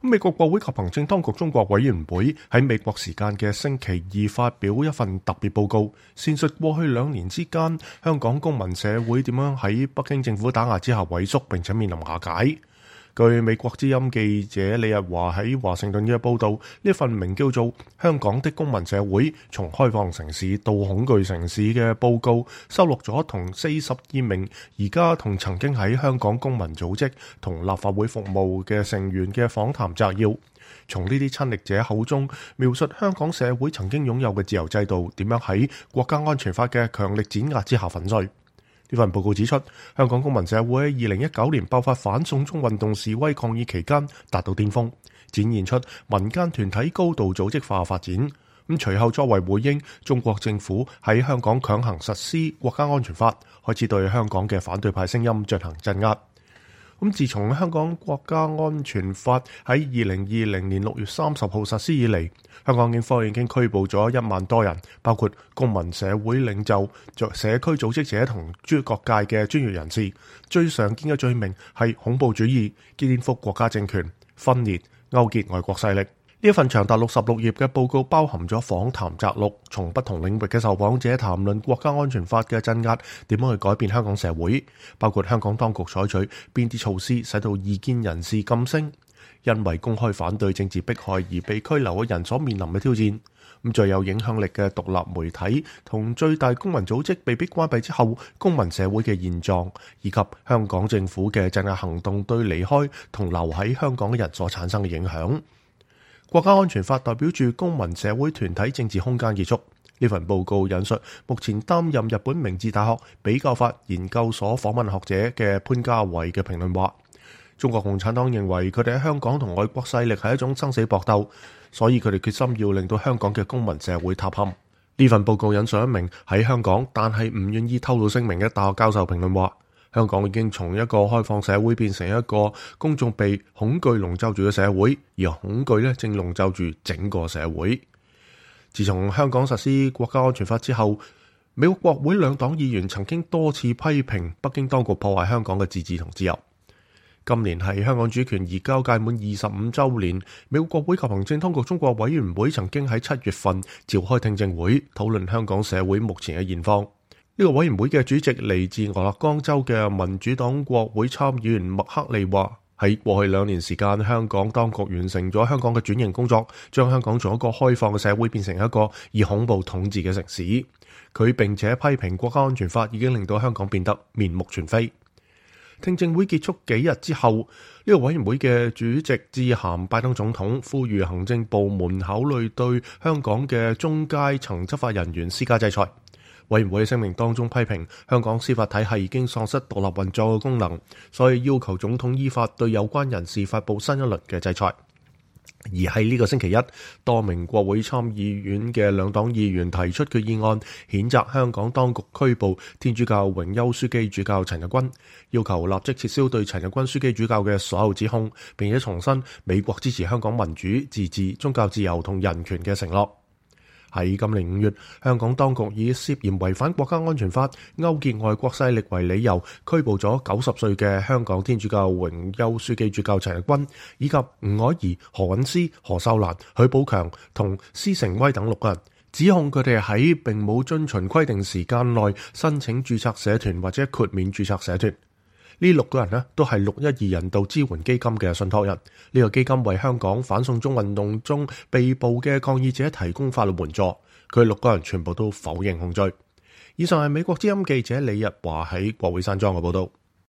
美國國會及行政當局中國委員會喺美國時間嘅星期二發表一份特別報告，闡述過去2年之間香港公民社會點樣喺北京政府打壓之下萎縮並且面臨瓦解。據美國之音記者李日華喺華盛頓嘅報導，呢份名叫做《香港的公民社會：從開放城市到恐懼城市》嘅報告，收錄咗同42名而家同曾經喺香港公民組織同立法會服務嘅成員嘅訪談摘要，從呢啲親歷者口中描述香港社會曾經擁有嘅自由制度點樣喺國家安全法嘅強力碾壓之下粉碎。呢份報告指出，香港公民社會喺2019年爆發反送中運動示威抗議期間達到巔峰，展現出民間團體高度組織化發展。隨後作為回應，中國政府喺香港強行實施國家安全法，開始對香港嘅反對派聲音進行鎮壓。自從香港國家安全法喺2020年6月30號實施以嚟，香港警方已經拘捕咗1萬多人，包括公民社會領袖、社區組織者同各界嘅專業人士。最常見嘅罪名係恐怖主義、顛覆國家政權、分裂、勾結外國勢力。呢一份長達66頁嘅報告包含咗訪談摘錄，從不同領域嘅受訪者談論國家安全法嘅鎮壓點樣去改變香港社會，包括香港當局採取邊啲措施使到異見人士噤聲，因為公開反對政治迫害而被拘留嘅人所面臨嘅挑戰。最有影響力嘅獨立媒體同最大公民組織被迫關閉之後，公民社會嘅現狀，以及香港政府嘅鎮壓行動對離開同留喺香港嘅人所產生嘅影響。國家安全法代表住公民社會團體政治空間結束。呢份報告引述目前擔任日本明治大學比較法研究所訪問學者嘅潘家偉嘅評論話，中國共產黨認為佢哋喺香港同外國勢力係一種生死搏鬥，所以佢哋決心要令到香港嘅公民社會塌陷。呢份報告引述一名喺香港但係唔願意透露姓名嘅大學教授評論話，香港已經從一個開放社會變成一個公眾被恐懼籠罩住嘅社會，而恐懼正籠罩住整個社會。自從香港實施國家安全法之後，美國國會兩黨議員曾經多次批評北京當局破壞香港嘅自治同自由。今年係香港主權移交屆滿25週年，美國國會及行政當局中國委員會曾經喺7月份召開聽證會，討論香港社會目前嘅現況。呢個委員會嘅主席嚟自俄勒岡州嘅民主黨國會參議員麥克利話，喺過去2年時間，香港當局完成咗香港嘅轉型工作，將香港從一個開放嘅社會變成一個以恐怖統治嘅城市。佢並且批評國家安全法已經令到香港變得面目全非。聽證會結束幾日之後，呢個委員會嘅主席致函拜登總統，呼籲行政部門考慮對香港嘅中階層執法人員施加制裁。委員會嘅聲明當中批評香港司法體系已經喪失獨立運作嘅功能，所以要求總統依法對有關人士發布新一輪嘅制裁。而喺呢個星期一，多名國會參議院嘅兩黨議員提出決議案，譴責香港當局拘捕天主教榮休書記主教陳日君，要求立即撤銷對陳日君書記主教嘅所有指控，並且重申美國支持香港民主、自治、宗教自由同人權嘅承諾。喺今年5月，香港當局以涉嫌違反國家安全法、勾結外國勢力為理由，拘捕咗90歲嘅香港天主教榮休書記主教陳日君，以及吳靄儀、何韻詩、何秀蘭、許寶強同施成威等6個人，指控佢哋喺並冇遵循規定時間內申請註冊社團或者豁免註冊社團。呢6個人都係612人道支援基金嘅信託人。呢個基金為香港反送中運動中被捕嘅抗議者提供法律援助。佢6個人全部都否認控罪。以上係美國之音記者李日華喺國會山莊嘅報道。